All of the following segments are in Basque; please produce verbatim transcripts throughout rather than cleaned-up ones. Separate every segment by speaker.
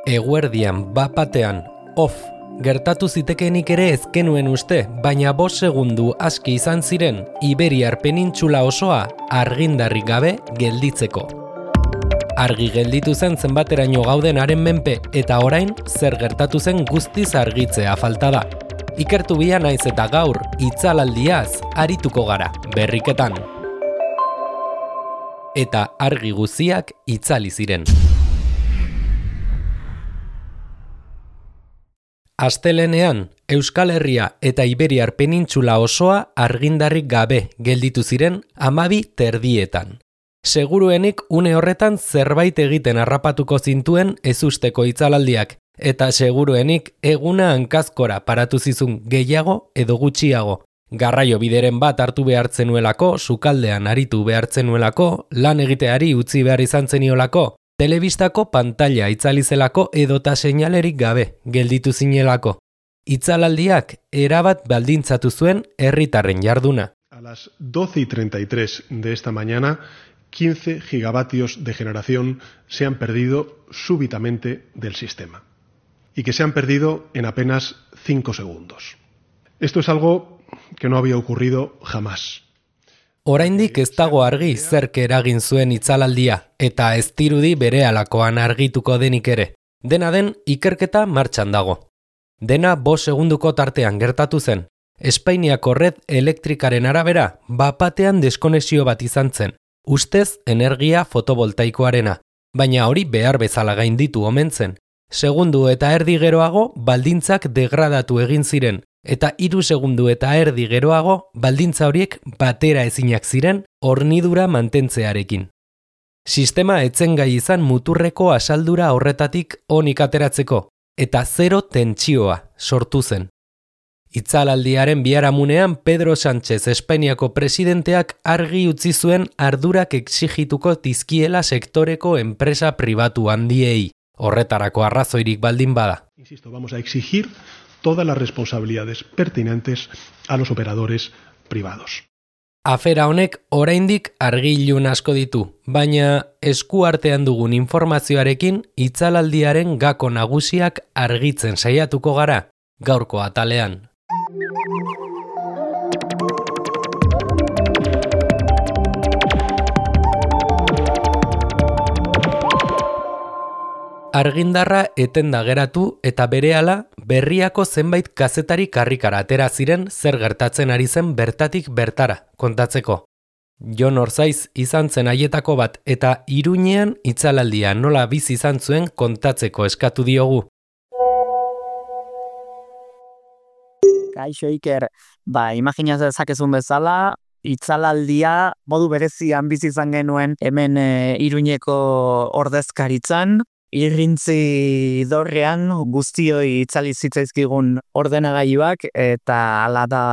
Speaker 1: Eguerdian, bapatean, off, gertatu zitekeenik ere ezkenuen uste, baina bost segundu aski izan ziren Iberiar penintxula osoa argindarrik gabe gelditzeko. Argi gelditu zen zenbateraino gauden haren menpe eta orain zer gertatu zen guztiz argitzea falta da. Ikertu bia naiz eta gaur itzalaldiaz arituko gara berriketan. Eta argi guztiak itzali ziren. Astelehenean, Euskal Herria eta Iberiar penintxula osoa argindarrik gabe gelditu ziren hamabi terdietan. Seguruenik une horretan zerbait egiten harrapatuko zintuen ezusteko itzalaldiak, eta seguruenik eguna hankazkora paratu zizun gehiago edo gutxiago. Garraio bideren bat hartu behartzenuelako, sukaldean aritu behartzenuelako, lan egiteari utzi behar izan zeniolako, telebistako pantalla itzalizelako edota seinalerik gabe gelditu zinelako. Itzalaldiak erabat baldintzatu zuen herritarren jarduna.
Speaker 2: A las doce y treinta y tres de esta mañana, quince gigavatios de generación se han perdido súbitamente del sistema y que se han perdido en apenas cinco segundos. Esto es algo que no había ocurrido jamás.
Speaker 1: Oraindik ez dago argi zerk eragin zuen itzalaldia, eta ez dirudi berehalakoan argituko denik ere. Dena den, ikerketa martxan dago. Dena bost segunduko tartean gertatu zen. Espainiako red elektrikaren arabera, bapatean deskonexio bat izan zen. Ustez energia fotovoltaikoarena, baina hori behar bezala gainditu omen zen. Segundu eta erdi geroago baldintzak degradatu egin ziren, eta hiru segundu eta erdi geroago baldintza horiek batera ezinak ziren hornidura mantentzearekin. Sistema etzen gai izan muturreko asaldura horretatik onik ateratzeko, eta zero tentsioa sortu zen. Itzalaldiaren biharamunean Pedro Sánchez Espainiako presidenteak argi utzi zuen ardurak exigituko dizkiela sektoreko enpresa pribatu handiei, horretarako arrazoirik baldin bada.
Speaker 2: Insisto, vamos a exigir todas las responsabilidades pertinentes a los operadores privados.
Speaker 1: Afera honek oraindik argi-ilun asko ditu, baina esku artean dugun informazioarekin itzalaldiaren gako nagusiak argitzen saiatuko gara gaurko atalean. Argindarra etenda geratu eta berehala berriako zenbait kazetari karrikara atera ziren zer gertatzen ari zen bertatik bertara kontatzeko. Jon Orzaiz izan zen haietako bat eta Iruñean itzalaldia nola bizi izan zuen kontatzeko eskatu diogu.
Speaker 3: Kaixo Iker, ba, imagina dezakezun bezala, itzalaldia modu berezian bizi izan genuen hemen e, Iruñeko ordezkaritzan, irrintzi dorrean guztioi itzali zitzaizkigun ordenagailuak eta hala da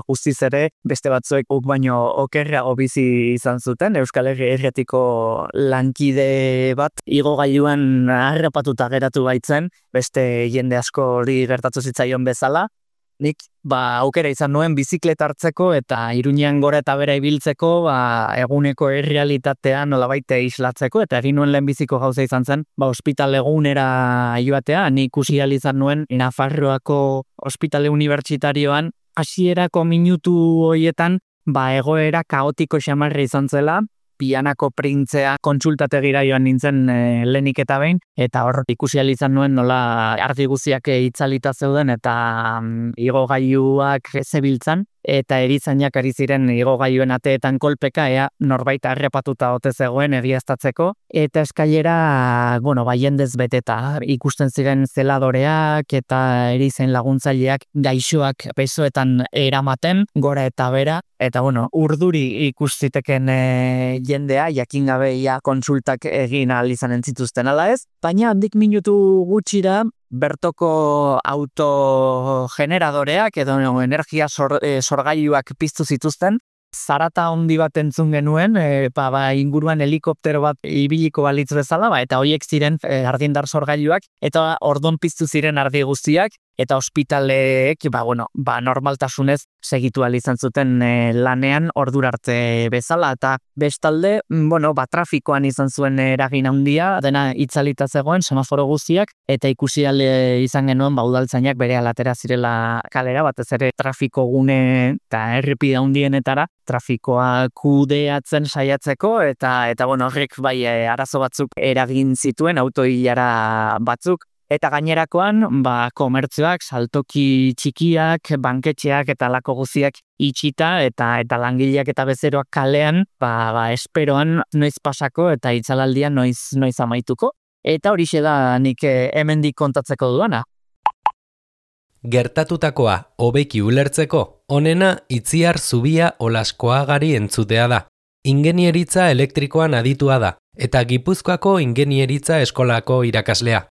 Speaker 3: guztiz ere beste batzuek uk baino okerrago bizi izan zuten. Euskal Herria Irratiko lankide bat igogailuan harrapatuta geratu baitzen, beste jende asko hori gertatu zitzaion bezala. Nik ba, aukera izan nuen biziklet hartzeko eta Iruñean gora eta bera ibiltzeko ba, eguneko errealitatea nolabait islatzeko eta egin nuen lehenbiziko gauza izan zen ba, ospitale egunera joatea. Nik ikusi ahal izan nuen Nafarroako ospitale unibertsitarioan hasierako minutu horietan ba, egoera kaotiko xamarra izan zela. Pianako printzea kontsultategira joan nintzen e, lehenik eta behin, eta hor ikusi ahal izan nuen nola argi guztiak itzalita zeuden eta um, igogailuak zebiltzan, eta erizainak ari ziren igogailuen ateetan kolpeka, ea norbait harrapatuta ote zegoen egiaztatzeko, eta eskailera, bueno, bai jendez beteta, ikusten ziren zeladoreak eta erizain laguntzaileak gaixoak pesoetan eramaten, gora eta bera, eta bueno, urduri ikustiteken e, jendea, jakin gabe ia kontsultak egin ahal izanen zituzten ala ez, baina handik minutu gutxira, bertoko autogeneradoreak edo energia sor, e, sorgailuak piztu zituzten, zarata handi bat entzun genuen, e, ba, ba, inguruan helikoptero bat ibiliko balitz bezala, ba, eta horiek ziren e, argindar sorgailuak, eta ordon piztu ziren argi guztiak, eta ospitaleek, ba, bueno, ba, normaltasunez segitu ahal izan zuten e, lanean ordura arte bezala, eta bestalde, bueno, ba, trafikoan izan zuen eragin handia, dena itzalita zegoen semaforo guztiak, eta ikusi ahal izan genuen, ba, udaltzainak bere alatera zirela kalera, batez ere trafiko gune eta errepide handienetara, trafikoa kudeatzen saiatzeko, eta, eta bueno, horrek bai e, arazo batzuk eragin zituen, autoilara batzuk, eta gainerakoan, ba, komertzioak, saltoki txikiak, banketxeak eta lako guztiak itxita, eta eta langileak eta bezeroak kalean, ba, ba, esperoan noiz pasako eta itzalaldia noiz, noiz amaituko. Eta horixe da nik hemendik kontatzeko duana.
Speaker 1: Gertatutakoa hobeki ulertzeko, onena Itziar Zubia Olaskoagari entzutea da. Ingenieritza elektrikoan aditua da, eta Gipuzkoako Ingenieritza Eskolako irakaslea.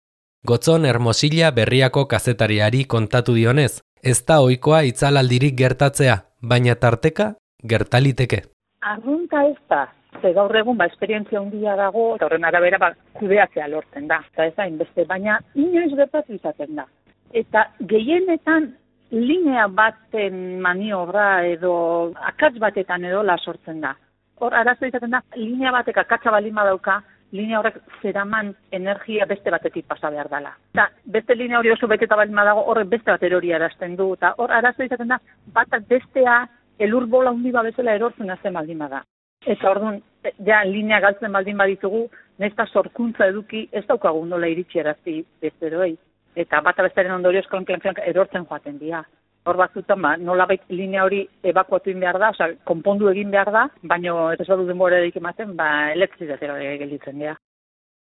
Speaker 1: Gotzon Hermosilla Berriako kazetariari kontatu dionez, ez da ohikoa itzalaldirik gertatzea, baina tarteka gertaliteke.
Speaker 4: Arrunta ez da, ze gaur egun ba, esperientzia handia dago, eta horren arabera ba, kudeatzea lortzen da. Eta ez da, inbeste, baina inoiz gertatu izaten da. Eta gehienetan linea baten maniobra edo akats batetan edo la sortzen da. Hor, arazo izaten da, linea batek akatsa balin badauka, linea horrek zeraman energia beste batetik pasa behar dela. Eta beste linea hori oso beteta balin badago, horrek beste bat erori arazten du, eta hor arazo izaten da, batak bestea elur bola hundi bezala erortzen azten baldin bada. Eta orduan, ja, linea galtzen baldin baditugu, nesta sorkuntza eduki, ez daukagu nola iritsi erazti besteroei. Eta bata bestaren ondorioz klan-klan erortzen joaten dira. Hor batzutan, ba, nolabait linea hori ebakuatu egin behar da, oza, konpondu egin behar da, baina ez badu denbora edik ematen, ba, elektrizatera gelditzen dira.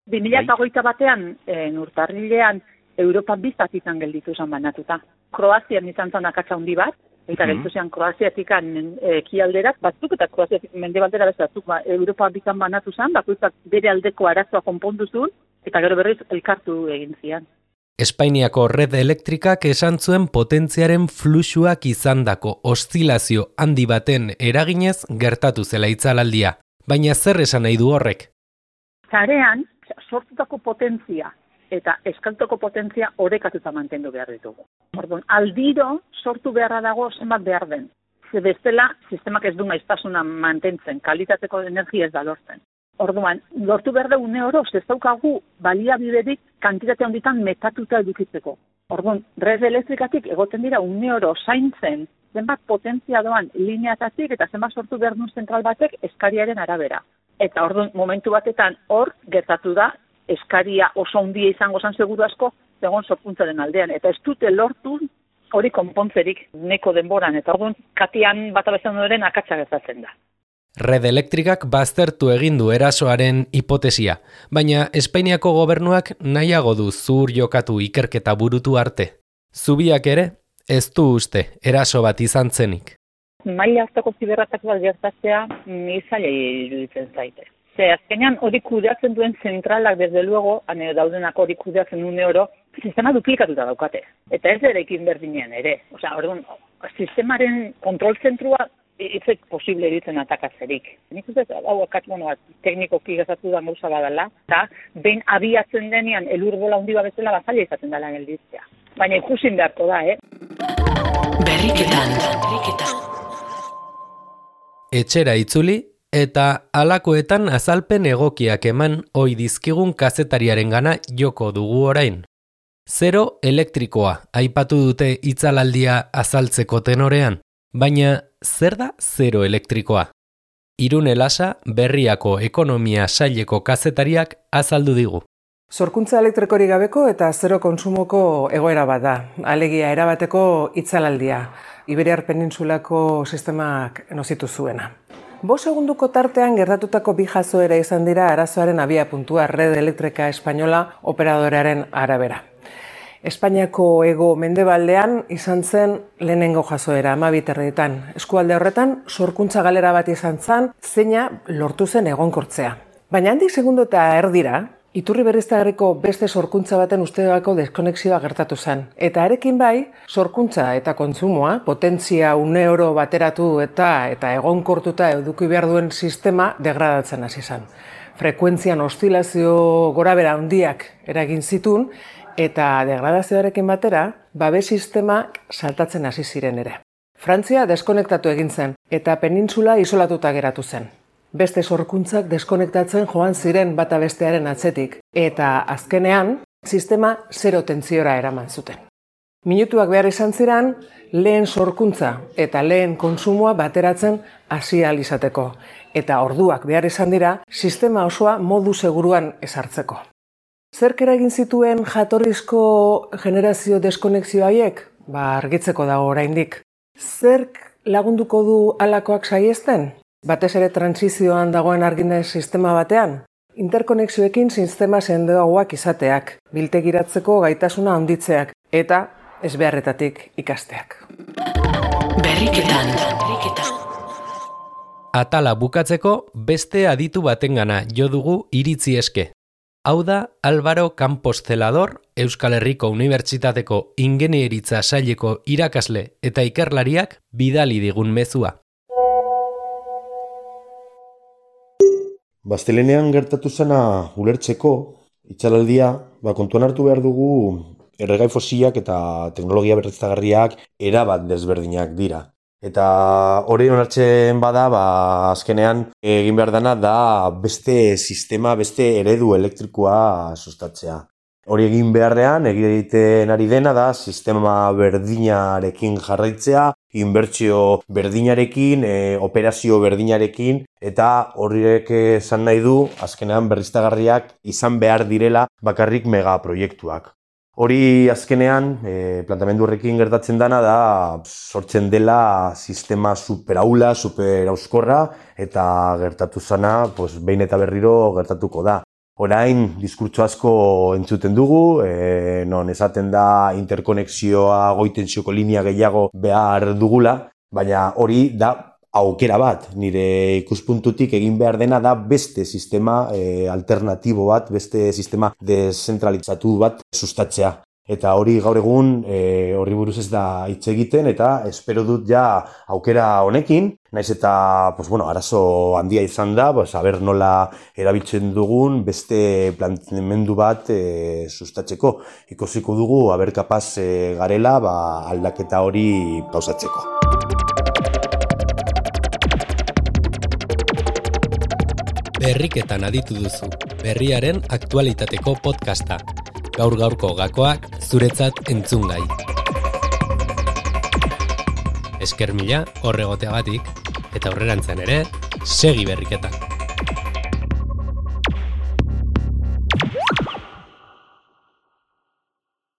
Speaker 4: bi mila hogeita batean, e, urtarrilean, Europan bizat izan gelditu zen banatuta. Kroazian izan zen akatsa handi bat, eta gelditu zen Kroaziatikan ekialderak batzuk, eta Kroaziatik mendebaldera bezatzuk, ba, Europa bizan banatu zen, bakoitzak bere aldeko arazoa konpondu zuen, eta gero berriz elkartu egin zian.
Speaker 1: Espainiako red elektrikak esan zuen potentziaren fluxuak izandako oszilazio handi baten eraginez gertatu zela itzalaldia. Baina zer esan nahi du horrek?
Speaker 4: Zarean, sortutako potentzia eta eskaltoko potentzia orekatuta mantendu behar ditugu. Orduan, aldiro sortu beharra dago zenbat behar den. Ze bestela, sistemak ez du maiztasuna mantentzen, kalitateko energia ez da lortzen. Orduan, lortu behar da une oro, ez daukagu baliabiderik kantitate handitan metatuta edukitzeko. Orduan, red elektrikatik egoten dira une oro zaintzen zenbat potentzia doan lineatatik eta zenbat sortu behar duen zentral batek eskariaren arabera. Eta orduan, momentu batetan hor gertatu da, eskaria oso handia izango zan seguru asko, zegoen sorkuntzaren aldean. Eta ez dute lortu hori konpontzerik neko denboran. Eta orduan, katian bat abezan duren akatsa gertatzen da.
Speaker 1: Red elektrikak baztertu egin du erasoaren hipotesia, baina Espainiako gobernuak nahiago du zuhur jokatu ikerketa burutu arte. Zubiak ere, ez du uste eraso bat izan zenik.
Speaker 4: Maila hartako ziberratako bat gertatzea zaila iruditzen zaite. Ze azkenean hori kudeatzen duen zentralak, desde luego, ane daudenak hori kudeatzen une oro, sistema duplikatuta daukate. Eta ez erekin berdinean ere. Osea, orduan, sistemaren kontrol zentrua itzek posible eritzen atakatzerik. Nik uste, hau akats, bueno, teknikoki gazatu da gauza badala, eta behin abiatzen denean elur bola hundi bezala bazaila izaten dela gelditzea. Baina ikusin beharko da, eh?
Speaker 1: Berriketan. Etxera itzuli, eta halakoetan azalpen egokiak eman ohi dizkigun kazetariaren gana joko dugu orain. Zero elektrikoa aipatu dute itzalaldia azaltzeko tenorean. Baina, zer da zero elektrikoa? Irune Lasa, Berriako ekonomia saileko kazetariak azaldu digu.
Speaker 5: Sorkuntza elektrikorik gabeko eta zero kontsumoko egoera bat da. Alegia erabateko itzalaldia. Iberiar Penintsulako sistemak nozitu zuena. Bost segunduko tartean gertatutako bi jazoera izan dira arazoaren abia puntua Red Elektrika Espainola operadorearen arabera. Espainiako hego mendebaldean izan zen lehenengo jazoera hamabiterrietan. Eskualde horretan sorkuntza galera bat izan zen, zeina lortu zen egonkortzea. Baina handik segundo eta erdira, Iturri berriztagarriko beste sorkuntza baten usteako deskonexioa gertatu zen. Eta arekin bai, sorkuntza eta kontsumoa, potentzia une oro bateratu eta eta egonkortuta eduki behar duen sistema degradatzen hasi zen. Frekuentzian oszilazio gorabehera handiak eragin zituen, eta degradazioarekin batera, babes sistema saltatzen hasi ziren ere. Frantzia deskonektatu egin zen, eta penintsula isolatuta geratu zen. Beste sorkuntzak deskonektatzen joan ziren bata bestearen atzetik, eta azkenean, sistema zero tentziora eraman zuten. Minutuak behar izan ziren, lehen sorkuntza eta lehen kontsumoa bateratzen hasi ahal izateko, eta orduak behar izan dira, sistema osoa modu seguruan ezartzeko. Zerk eragin zituen jatorrizko generazio deskonexio haiek? Ba, argitzeko dago oraindik. Zerk lagunduko du halakoak saiesten? Batez ere transizioan dagoen argine sistema batean? Interkonexioekin sistema sendoagoak izateak, biltegiratzeko gaitasuna handitzeak eta ezbeharretatik ikasteak.
Speaker 1: Berriketan. Atala bukatzeko beste aditu batengana jo dugu iritzi eske. Hau da Álvaro Campos Zelador, Euskal Herriko Unibertsitateko Ingenieritza saileko irakasle eta ikerlariak bidali digun mezua.
Speaker 6: Baztelenean gertatu zena ulertzeko, itxalaldia, ba, kontuan hartu behar dugu erregai fosilak eta teknologia berriztagarriak erabat desberdinak dira. Eta hori onartzen bada, ba, azkenean egin behar dana da beste sistema, beste eredu elektrikoa sustatzea. Hori egin beharrean, egiten ari dena da sistema berdinarekin jarraitzea, inbertsio berdinarekin, e, operazio berdinarekin, eta horrek esan nahi du, azkenean berriztagarriak izan behar direla bakarrik megaproiektuak. Hori azkenean, e, plantamendu horrekin gertatzen dana da, sortzen dela sistema superaula, superauskorra, eta gertatu zana, pues, behin eta berriro gertatuko da. Orain, diskurtso asko entzuten dugu, e, non esaten da interkonexioa goitentsioko linea gehiago behar dugula, baina hori da aukera bat, nire ikuspuntutik egin behar dena da beste sistema e, alternatibo bat, beste sistema deszentralizatu bat sustatzea. Eta hori gaur egun e, horri buruz ez da hitz egiten eta espero dut ja aukera honekin, naiz eta pues, bueno, arazo handia izan da, pues, aber nola erabiltzen dugun beste planteamendu bat e, sustatzeko. Ikusiko dugu aber kapaz e, garela ba, aldaketa hori pausatzeko.
Speaker 1: Berriketan aditu duzu, berriaren aktualitateko podcasta. Gaur-gaurko gakoak zuretzat entzungai. Esker mila horregoteagatik eta aurrerantzean ere segi berriketan.